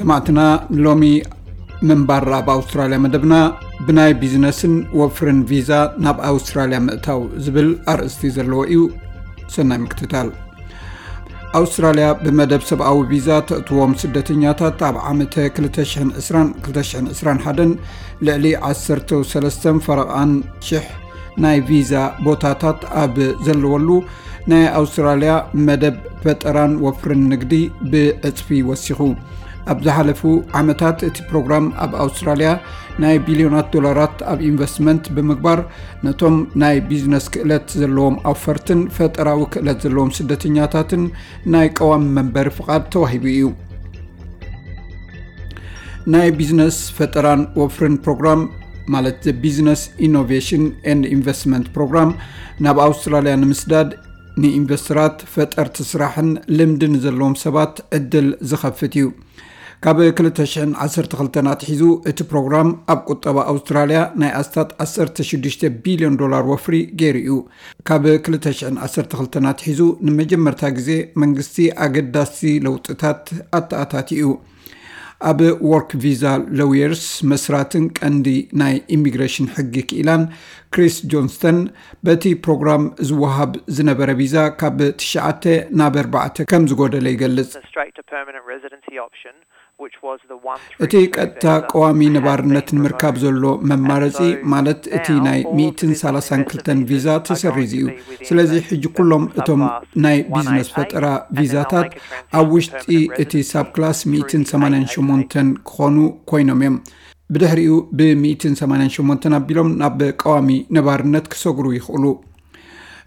ሰማዕትና፣ ሎሚ ምንባር ኣብ ኣውስትራልያ መደብና ብናይ ቢዝነስን ወፍርን ቪዛ ናብ ኣውስትራልያ ምእታው ዝብል ኣርእስቲ ዘለዎ እዩ። ሰናይ ምክትታል። ኣውስትራልያ ብመደብ ሰብኣዊ ቪዛ ተእትዎም ስደተኛታት ኣብ ዓመተ ክልተ ሽሕን ዕስራን ክልተ ሽሕን ዕስራን ሓደን ልዕሊ ዓሰርተ ሰለስተን ፈረቓን ሽሕ ናይ ቪዛ ቦታታት ኣብ ዘለወሉ ናይ ኣውስትራልያ መደብ ፈጠራን ወፍርን ንግዲ ብዕጽፊ ወሲኹ። ኣብ ዝሓለፉ ዓመታት እቲ ፕሮግራም ኣብ ኣውስትራልያ ናይ ቢልዮናት ዶላራት ኣብ ኢንቨስትመንት ብምግባር ነቶም ናይ ቢዝነስ ክእለት ዘለዎም ኣውፈርትን ፈጠራዊ ክእለት ዘለዎም ስደተኛታትን ናይ ቀዋሚ መንበሪ ፍቓድ ተዋሂቡ እዩ። ናይ ቢዝነስ ፈጠራን ወፍርን ፕሮግራም ማለት ቢዝነስ ኢኖቬሽን ኤንድ ኢንቨስትመንት ፕሮግራም ናብ ኣውስትራልያ ንምስዳድ ንኢንቨስተራት ፈጠርቲ ስራሕን ልምዲ ንዘለዎም ሰባት ዕድል ዝኸፍት እዩ። ካብ ክልተ ሽሕን ዓሰርተ ክልተን ኣትሒዙ እቲ ፕሮግራም ኣብ ቁጠባ ኣውስትራልያ ናይ ኣስታት ዓሰርተ ሽዱሽተ ቢልዮን ዶላር ወፍሪ ገይሩ እዩ። ካብ ክልተ ሽሕን ዓሰርተ ክልተን ኣትሒዙ ንመጀመርታ ግዜ መንግስቲ ኣገዳሲ ለውጥታት ኣተኣታትዩ። ኣብ ወርክ ቪዛ ሎየርስ መስራትን ቀንዲ ናይ ኢሚግሬሽን ሕጊ ክኢላን ክሪስ ጆንስተን በቲ ፕሮግራም ዝወሃብ ዝነበረ ቪዛ ካብ ትሽዓተ ናብ ኣርባዕተ ከም ዝጎደለ ይገልጽ። እቲ ቀጥታ ቀዋሚ ነባርነት ንምርካብ ዘሎ መማረጺ ማለት እቲ ናይ ሚእትን ሰላሳን ክልተን ቪዛ ተሰሪዙ እዩ። ስለዚ ሕጂ ኩሎም እቶም ናይ ቢዝነስ ፈጠራ ቪዛታት ኣብ ውሽጢ እቲ ሳብ ክላስ ሚእትን ሰማንያን ሸሞንተን ክኾኑ ኮይኖም እዮም። ብድሕሪኡ ብሚእትን ሰማንያን ሸሞንተን ኣቢሎም ናብ ቀዋሚ ነባርነት ክሰግሩ ይኽእሉ።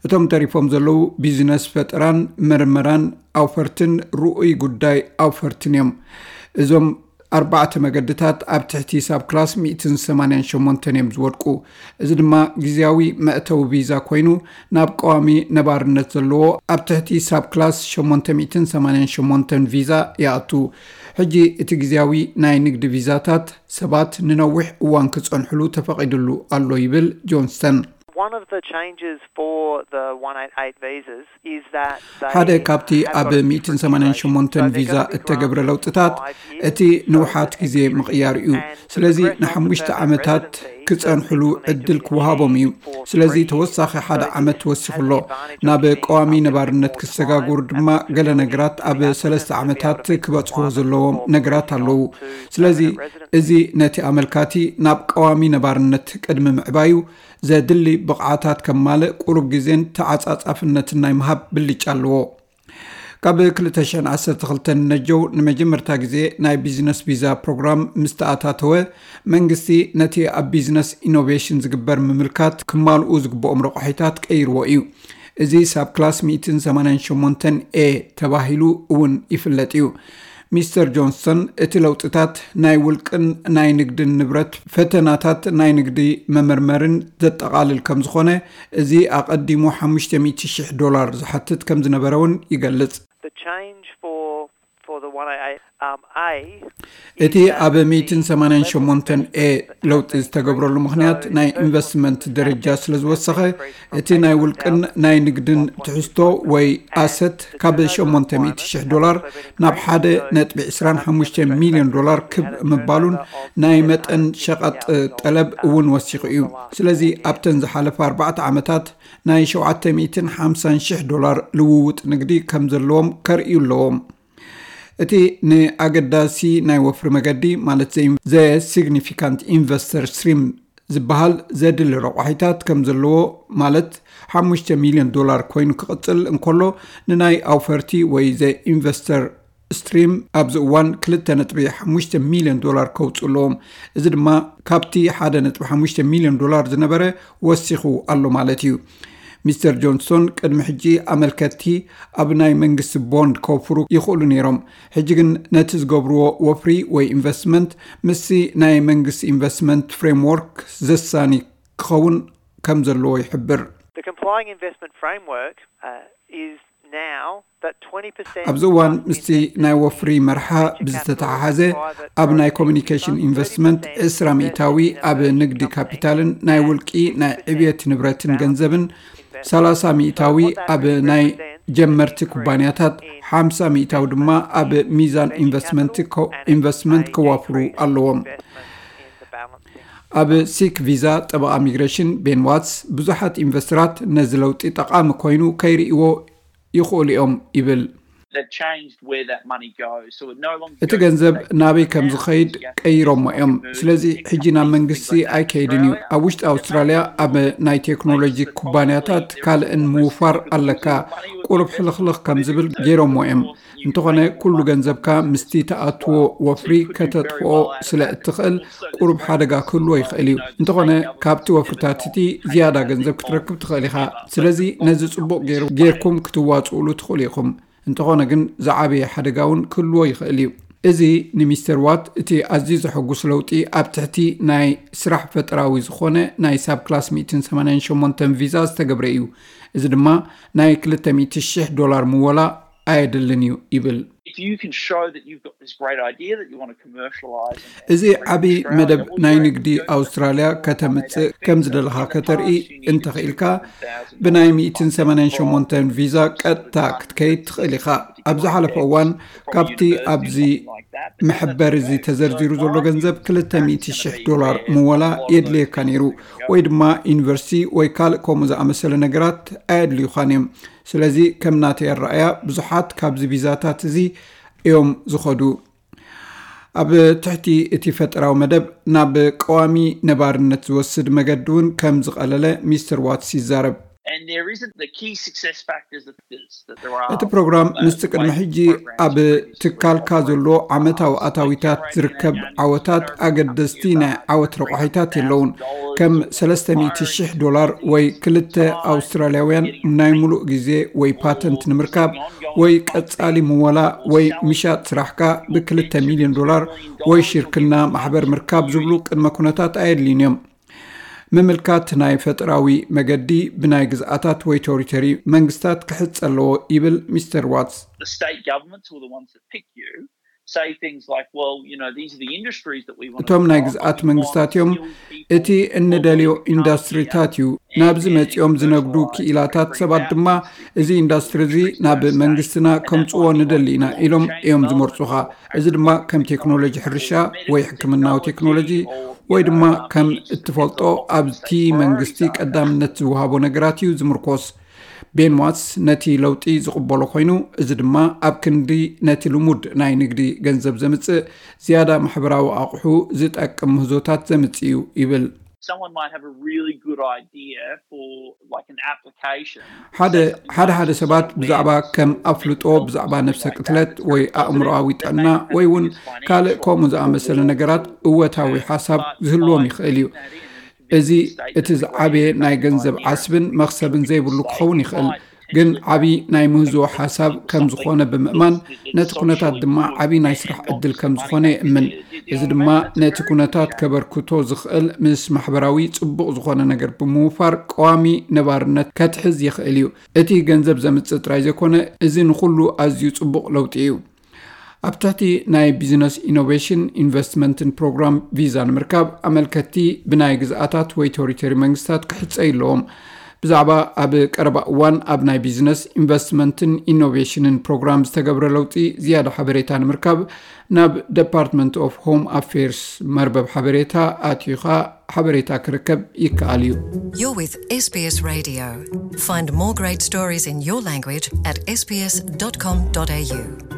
እቶም ተሪፎም ዘለዉ ቢዝነስ ፈጠራን ምርመራን ኣውፈርትን ርኡይ ጉዳይ ኣውፈርትን እዮም። እዞም ኣርባዕተ መገድታት ኣብ ትሕቲ ሳብ ክላስ ሚእትን ሰማንያን ሸሞንተን እዮም ዝወድቁ። እዚ ድማ ግዜያዊ መእተዊ ቪዛ ኮይኑ ናብ ቀዋሚ ነባርነት ዘለዎ ኣብ ትሕቲ ሳብ ክላስ ሸሞንተ ሚእትን ሰማንያን ሸሞንተን ቪዛ ይኣቱ። ሕጂ እቲ ግዜያዊ ናይ ንግዲ ቪዛታት ሰባት ንነዊሕ እዋን ክጸንሕሉ ተፈቒድሉ ኣሎ ይብል ጆንስተን። One of the changes for the one eight eight visas is that ሓደ ካብቲ ኣብ ሚእትን ሰማንያን ሸሞንተን ቪዛ እተገብረ ለውጥታት እቲ ንውሓት ግዜ ምቕያር እዩ። ስለዚ ንሓሙሽተ ዓመታት ክጸንሕሉ ዕድል ክወሃቦም እዩ። ስለዚ ተወሳኺ ሓደ ዓመት ወሲኹ ኣሎ። ናብ ቀዋሚ ነባርነት ክሰጋጉር ድማ ገለ ነገራት ኣብ ሰለስተ ዓመታት ክበጽሕዎ ዘለዎም ነገራት ኣለዉ። ስለዚ እዚ ነቲ ኣመልካቲ ናብ ቀዋሚ ነባርነት ቅድሚ ምዕባዩ ዘድሊ ብቕዓታት ከማልእ ቁሩብ ግዜን ተዓጻጻፍነትን ናይ ምሃብ ብልጫ ኣለዎ። ካብ ክልተ ሽሕን ዓሰርተ ክልተን ነጀው ንመጀመርታ ግዜ ናይ ቢዝነስ ቪዛ ፕሮግራም ምስ ተኣታተወ መንግስቲ ነቲ ኣብ ቢዝነስ ኢኖቬሽን ዝግበር ምምልካት ክማልኡ ዝግብኦም ረቋሒታት ቀይርዎ እዩ። እዚ ሳብ ክላስ ሚእትን ሰማንያን ሸሞንተን ኤ ተባሂሉ እውን ይፍለጥ እዩ። ሚስተር ጆንሰን እቲ ለውጥታት ናይ ውልቅን ናይ ንግድን ንብረት ፈተናታት ናይ ንግዲ መመርመርን ዘጠቓልል ከም ዝኾነ እዚ ኣቐዲሙ ሓሙሽተ ሚእቲ ሽሕ ዶላር ዝሓትት ከም ዝነበረ እውን ይገልጽ። The change for for the one eight eight um, A እቲ ኣብ ሚእትን ሰማንያን ሸሞንተን ኤ ለውጢ ዝተገብረሉ ምኽንያት ናይ ኢንቨስትመንት ደረጃ ስለ ዝወሰኸ እቲ ናይ ውልቅን ናይ ንግድን ትሕዝቶ ወይ ኣሰት ካብ ሸሞንተ ሚእቲ ሽሕ ዶላር ናብ ሓደ ነጥቢ ዕስራን ሓሙሽተ ሚልዮን ዶላር ክብ ምባሉን ናይ መጠን ሸቐጥ ጠለብ እውን ወሲኹ እዩ። ስለዚ ኣብተን ዝሓለፈ ኣርባዕተ ዓመታት ናይ ሸውዓተ ሚእትን ሓምሳን ሽሕ ዶላር ልውውጥ ንግዲ ከም ዘለዎም ከርእዩ ኣለዎም። እቲ ንኣገዳሲ ናይ ወፍሪ መገዲ ማለት ዘ ሲግኒፊካንት ኢንቨስተር ስትሪም ዝበሃል ዘድሊ ረቋሒታት ከም ዘለዎ ማለት ሓሙሽተ ሚልዮን ዶላር ኮይኑ ክቕጽል እንከሎ ንናይ ኣውፈርቲ ወይ ዘ ኢንቨስተር ስትሪም ኣብዚ እዋን ክልተ ነጥቢ ሓሙሽተ ሚልዮን ዶላር ከውፅኡ ኣለዎም። እዚ ድማ ካብቲ ሓደ ነጥቢ ሓሙሽተ ሚልዮን ዶላር ዝነበረ ወሲኹ ኣሎ ማለት እዩ። ሚስተር ጆንሶን ቅድሚ ሕጂ ኣመልከትቲ ኣብ ናይ መንግስቲ ቦንድ ከውፍሩ ይኽእሉ ነይሮም። ሕጂ ግን ነቲ ዝገብርዎ ወፍሪ ወይ ኢንቨስትመንት ምስቲ ናይ መንግስቲ ኢንቨስትመንት ፍሬምወርክ ዘሳኒ ክኸውን ከም ዘለዎ ይሕብር። The complying investment framework uh, is now that twenty percent ኣብዚ እዋን ምስቲ ናይ ወፍሪ መርሓ ብዝተተሓሓዘ ኣብ ናይ ኮሚኒኬሽን ኢንቨስትመንት ዕስራ ሚእታዊ ኣብ ንግዲ ካፒታልን ናይ ውልቂ ናይ ዕብየት ንብረትን ገንዘብን ሰላሳ ሚእታዊ ኣብ ናይ ጀመርቲ ኩባንያታት ሓምሳ ሚእታዊ ድማ ኣብ ሚዛን ኢንቨስትመንት ከ- ኢንቨስትመንት ከዋፍሩ ኣለዎም። ኣብ ሲክ ቪዛ ጠበቓ ሚግሬሽን ቤን ዋትስ ብዙሓት ኢንቨስተራት ነዚ ለውጢ ጠቓሚ ኮይኑ ከይርእይዎ ይኽእሉ እዮም ይብል። They've changed where that money goes. So it no longer እቲ ገንዘብ ናበይ ከም ዝኸይድ ቀይሮሞ እዮም። ስለዚ ሕጂ ናብ መንግስቲ ኣይከይድን እዩ። ኣብ ውሽጢ ኣውስትራልያ ኣብ ናይ ቴክኖሎጂ ኩባንያታት ካልእን ምውፋር ኣለካ። ቁሩብ ሕልኽልኽ ከም ዝብል ገይሮሞ እዮም። እንተኾነ ኩሉ ገንዘብካ ምስቲ ተኣትዎ ወፍሪ ከተጥፍኦ ስለ እትኽእል ቁሩብ ሓደጋ ክህልዎ ይኽእል እዩ። እንተኾነ ካብቲ ወፍርታት እቲ ዝያዳ ገንዘብ ክትረክብ ትኽእል ኢኻ። ስለዚ ነዚ ጽቡቕ ገይሩ ጌርኩም ክትዋጽኡሉ ትኽእሉ ኢኹም። እንተኾነ ግን ዝዓበየ ሓደጋ እውን ክህልዎ ይኽእል እዩ። እዚ ንሚስተር ዋት እቲ ኣዝዩ ዘሐጉስ ለውጢ ኣብ ትሕቲ ናይ ስራሕ ፈጠራዊ ዝኾነ ናይ ሳብ ክላስ ሚእትን ሰማንያን ሸሞንተን ቪዛ ዝተገብረ እዩ። እዚ ድማ ናይ ክልተ ሚእቲ ሽሕ ዶላር ምወላ ኣየድልን እዩ ይብል። If you can show that you've got this great idea that you want to commercialize, እዚ ዓቢ መደብ ናይ ንግዲ ኣውስትራልያ ከተምጽእ ከም ዝደለኻ ከተርኢ እንተኽኢልካ ብናይ ሚእትን ሰማንያን ሸሞንተን ቪዛ ቀጥታ ክትከይድ ትኽእል ኢኻ። ኣብ ዝሓለፈ እዋን ካብቲ ኣብዚ መሐበሪ እዚ ተዘርዚሩ ዘሎ ገንዘብ ክልተ ሚእቲ ሽሕ ዶላር ምወላ የድልየካ ነይሩ፣ ወይ ድማ ዩኒቨርሲቲ ወይ ካልእ ከምኡ ዝኣመሰለ ነገራት ኣየድልዩኻን እዮም። ስለዚ ከም ናተይ ኣረኣያ ብዙሓት ካብዚ ቪዛታት እዚ እዮም ዝኸዱ። ኣብ ትሕቲ እቲ ፈጠራዊ መደብ ናብ ቀዋሚ ነባርነት ዝወስድ መገዲ እውን ከም ዝቐለለ ሚስተር ዋትስ ይዛረብ። And there isn't the key success factors that, that there are. እቲ ፕሮግራም ምስቲ ቅድሚ ሕጂ ኣብ ትካልካ ዘሎ ዓመታዊ ኣታዊታት ዝርከብ ዓወታት ኣገደስቲ ናይ ዓወት ረቋሒታት የለውን። ከም ሰለስተ ሚእቲ ሽሕ ዶላር ወይ ክልተ ኣውስትራልያውያን ናይ ሙሉእ ግዜ ወይ ፓተንት ንምርካብ ወይ ቀጻሊ ምወላ ወይ ምሻጥ ስራሕካ ብክልተ ሚልዮን ዶላር ወይ ሽርክና ማሕበር ምርካብ ዝብሉ ቅድመ ኩነታት ኣየድልዩን እዮም። ምምልካት ናይ ፈጠራዊ መገዲ ብናይ ግዝኣታት ወይ ቴሪቶሪ መንግስታት ክሕጸ ኣለዎ ይብል ሚስተር ዋትስ። The state governments were the ones that pick you. Say things like, well, you know, these are the industries that we want. እቶም ናይ ግዝኣት መንግስታት እዮም እቲ እንደልዮ ኢንዱስትሪታት እዩ። ናብዚ መጺኦም ዝነግዱ ክኢላታት ሰባት ድማ እዚ ኢንዱስትሪ እዚ ናብ መንግስትና ከምጽዎ ንደሊ ኢና ኢሎም እዮም ዝመርጹኻ። እዚ ድማ ከም ቴክኖሎጂ ሕርሻ ወይ ሕክምናዊ ቴክኖሎጂ ወይ ድማ ከም እትፈልጦ ኣብቲ መንግስቲ ቀዳምነት ዝወሃቦ ነገራት እዩ ዝምርኮስ። ቤን ዋትስ ነቲ ለውጢ ዝቕበሎ ኮይኑ፣ እዚ ድማ ኣብ ክንዲ ነቲ ልሙድ ናይ ንግዲ ገንዘብ ዘምጽእ ዝያዳ ማሕበራዊ ኣቑሑ ዝጠቅም ምህዞታት ዘምጽእ እዩ ይብል። Someone might have a really good idea for, like, an application. ሓደ ሓደ ሓደ ሰባት ብዛዕባ ከም ኣፍልጦ ብዛዕባ ነፍሰ ቅትለት ወይ ኣእምሮኣዊ ጥዕና ወይ እውን ካልእ ከምኡ ዝኣመሰለ ነገራት እወታዊ ሓሳብ ዝህልዎም ይኽእል እዩ። እዚ እቲ ዝዓበየ ናይ ገንዘብ ዓስብን መኽሰብን ዘይብሉ ክኸውን ይኽእል፣ ግን ዓቢ ናይ ምህዞ ሓሳብ ከም ዝኾነ ብምእማን ነቲ ኩነታት ድማ ዓቢ ናይ ስራሕ ዕድል ከም ዝኾነ ይእምን። እዚ ድማ ነቲ ኩነታት ከበርክቶ ዝኽእል ምስ ማሕበራዊ ጽቡቕ ዝኾነ ነገር ብምውፋር ቀዋሚ ነባርነት ከትሕዝ ይኽእል እዩ። እቲ ገንዘብ ዘምጽእ ጥራይ ዘይኮነ፣ እዚ ንኹሉ ኣዝዩ ጽቡቕ ለውጢ እዩ። ኣብ ትሕቲ ናይ ቢዝነስ ኢኖቬሽን ኢንቨስትመንትን ፕሮግራም ቪዛ ንምርካብ ኣመልከትቲ ብናይ ግዝኣታት ወይ ቴሪቶሪ መንግስታት ክሕጸዩ ኣለዎም። ብዛዕባ ኣብ ቀረባ እዋን ኣብ ናይ ቢዝነስ ኢንቨስትመንትን ኢኖቬሽንን ፕሮግራም ዝተገብረ ለውጢ ዝያዳ ሓበሬታ ንምርካብ ናብ ደፓርትመንት ኦፍ ሆም ኣፌርስ መርበብ ሓበሬታ ኣትዩኻ ሓበሬታ ክርከብ ይከኣል እዩ። You're with S B S Radio. Find more great stories in your language at S B S dot com dot A U.